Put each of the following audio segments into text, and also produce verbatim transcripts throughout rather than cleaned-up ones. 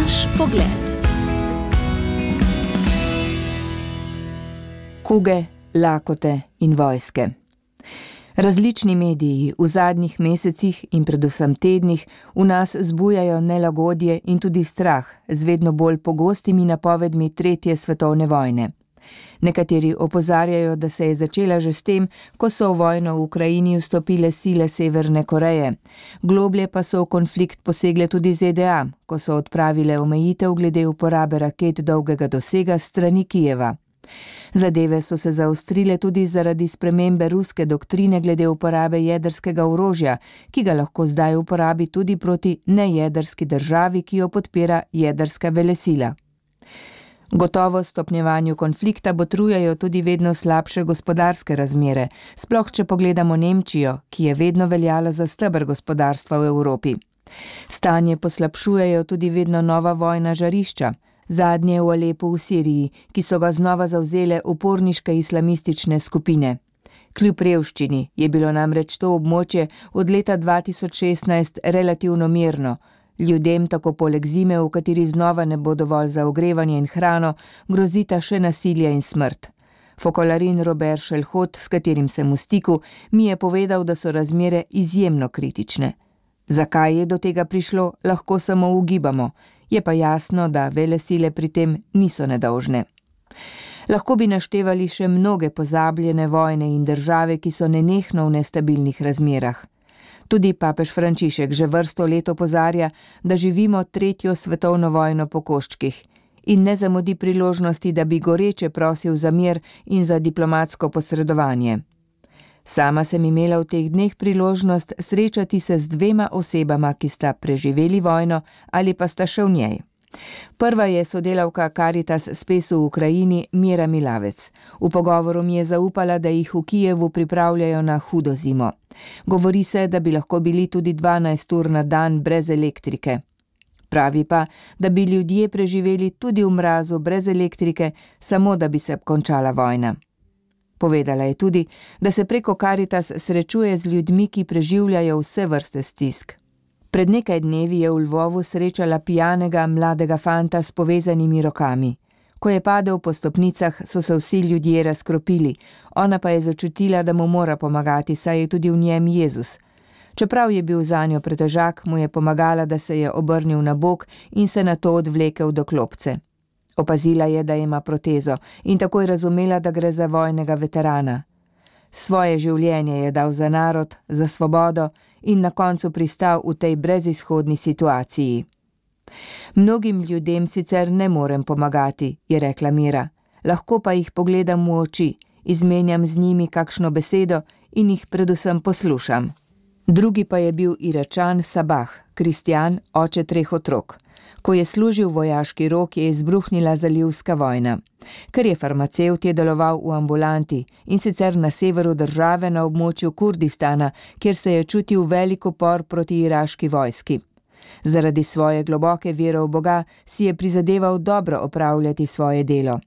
Naš pogled. Kuge, lakote in vojske. Različni mediji v zadnjih mesecih in predvsem tednih v nas zbujajo nelagodje in tudi strah z vedno bolj pogostimi napovedmi tretje svetovne vojne. Nekateri opozarjajo, da se je začela že s tem, ko so v vojno v Ukrajini vstopile sile Severne Koreje. Globlje pa so v konflikt posegle tudi Z D A, ko so odpravile omejitev glede uporabe raket dolgega dosega strani Kijeva. Zadeve so se zaostrile tudi zaradi spremembe ruske doktrine glede uporabe jedrskega orožja, ki ga lahko zdaj uporabi tudi proti nejedrski državi, ki jo podpira jedrska velesila. Gotovo stopnjevanju konflikta botrujejo tudi vedno slabše gospodarske razmere, sploh če pogledamo Nemčijo, ki je vedno veljala za steber gospodarstva v Evropi. Stanje poslabšujejo tudi vedno nova vojna žarišča, zadnje v Alepu v Siriji, ki so ga znova zavzele uporniške islamistične skupine. Kljub revščini je bilo namreč to območje od leta dva tisoč šestnajst relativno mirno. Ljudem tako poleg zime, v kateri znova ne bo dovolj za ogrevanje in hrano, grozita še nasilje in smrt. Fokolarin Robert Šelhot, s katerim sem v stiku, mi je povedal, da so razmere izjemno kritične. Zakaj je do tega prišlo, lahko samo ugibamo, je pa jasno, da velesile pri tem niso nedolžne. Lahko bi naštevali še mnoge pozabljene vojne in države, ki so nenehno v nestabilnih razmerah. Tudi papež Frančišek že vrsto let opozarja, da živimo tretjo svetovno vojno po koščkih in ne zamudi priložnosti, da bi goreče prosil za mir in za diplomatsko posredovanje. Sama sem imela v teh dneh priložnost srečati se z dvema osebama, ki sta preživeli vojno ali pa sta še v njej. Prva je sodelavka Caritas Spesu v Ukrajini Mira Milavec. V pogovoru mi je zaupala, da jih v Kijevu pripravljajo na hudo zimo. Govori se, da bi lahko bili tudi dvanajst ur na dan brez elektrike. Pravi pa, da bi ljudje preživeli tudi v mrazu brez elektrike, samo da bi se končala vojna. Povedala je tudi, da se preko Caritas srečuje z ljudmi, ki preživljajo vse vrste stisk. Pred nekaj dnevi je v Lvovu srečala pijanega mladega fanta s povezanimi rokami. Ko je padel po stopnicah, so se vsi ljudje razkropili, ona pa je začutila, da mu mora pomagati, saj je tudi v njem Jezus. Čeprav je bil zanjo pretežak, mu je pomagala, da se je obrnil na bok in se nato odvlekel do klopce. Opazila je, da ima protezo in takoj razumela, da gre za vojnega veterana. Svoje življenje je dal za narod, za svobodo in na koncu pristal v tej brezizhodni situaciji. Mnogim ljudem sicer ne morem pomagati, je rekla Mira, lahko pa jih pogledam v oči, izmenjam z njimi kakšno besedo in jih predvsem poslušam. Drugi pa je bil Iračan Sabah, kristjan, oče treh otrok. Ko je služil vojaški rok, je izbruhnila zalivska vojna. Ker je farmacevt, je deloval v ambulanti in sicer na severu države na območju Kurdistana, kjer se je čutil velik upor proti iraški vojski. Zaradi svoje globoke vere v Boga si je prizadeval dobro opravljati svoje delo.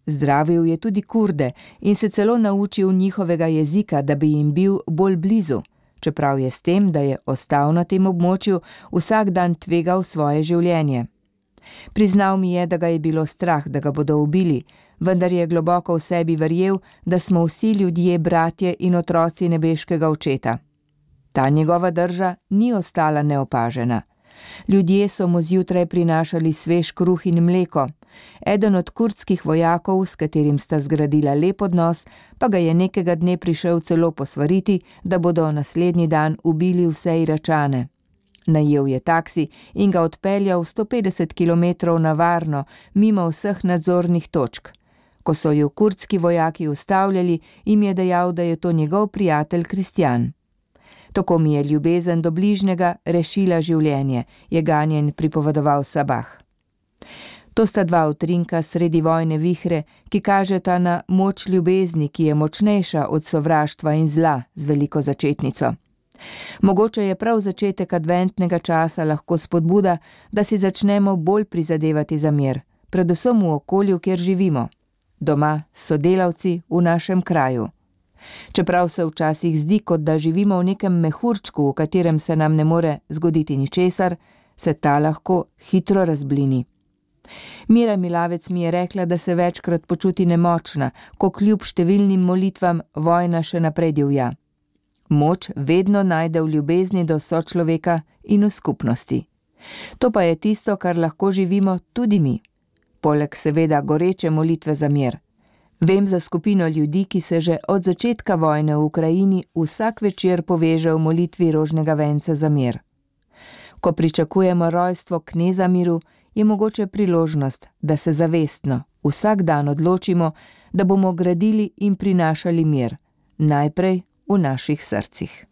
Zdravil je tudi Kurde in se celo naučil njihovega jezika, da bi jim bil bolj blizu, čeprav je s tem, da je ostal na tem območju, vsak dan tvegal svoje življenje. Priznal mi je, da ga je bilo strah, da ga bodo ubili, vendar je globoko v sebi verjel, da smo vsi ljudje bratje in otroci nebeškega očeta. Ta njegova drža ni ostala neopažena. Ljudje so mu zjutraj prinašali svež kruh in mleko. Eden od kurdskih vojakov, s katerim sta zgradila lep odnos, pa ga je nekega dne prišel celo posvariti, da bodo naslednji dan ubili vse Iračane. Najel je taksi in ga odpeljal sto petdeset kilometrov na varno, mimo vseh nadzornih točk. Ko so ju kurdski vojaki ustavljali, jim je dejal, da je to njegov prijatelj kristjan. Tako mi je ljubezen do bližnjega rešila življenje, je ganjen pripovedoval Sabah. To sta dva utrinka sredi vojne vihre, ki kažeta na moč ljubezni, ki je močnejša od sovraštva in zla z veliko začetnico. Mogoče je prav začetek adventnega časa lahko spodbuda, da si začnemo bolj prizadevati za mir, predvsem v okolju, kjer živimo. Doma, sodelavci, v našem kraju. Čeprav se včasih zdi, kot da živimo v nekem mehurčku, v katerem se nam ne more zgoditi ničesar, se ta lahko hitro razblini. Mira Milavec mi je rekla, da se večkrat počuti nemočna, ko kljub številnim molitvam vojna še naprej divja. Moč vedno najde v ljubezni do sočloveka in v skupnosti. To pa je tisto, kar lahko živimo tudi mi. Poleg seveda goreče molitve za mir. Vem za skupino ljudi, ki se že od začetka vojne v Ukrajini vsak večer poveže v molitvi rožnega venca za mir. Ko pričakujemo rojstvo kneza miru, je mogoče priložnost, da se zavestno vsak dan odločimo, da bomo gradili in prinašali mir, najprej v naših srcih.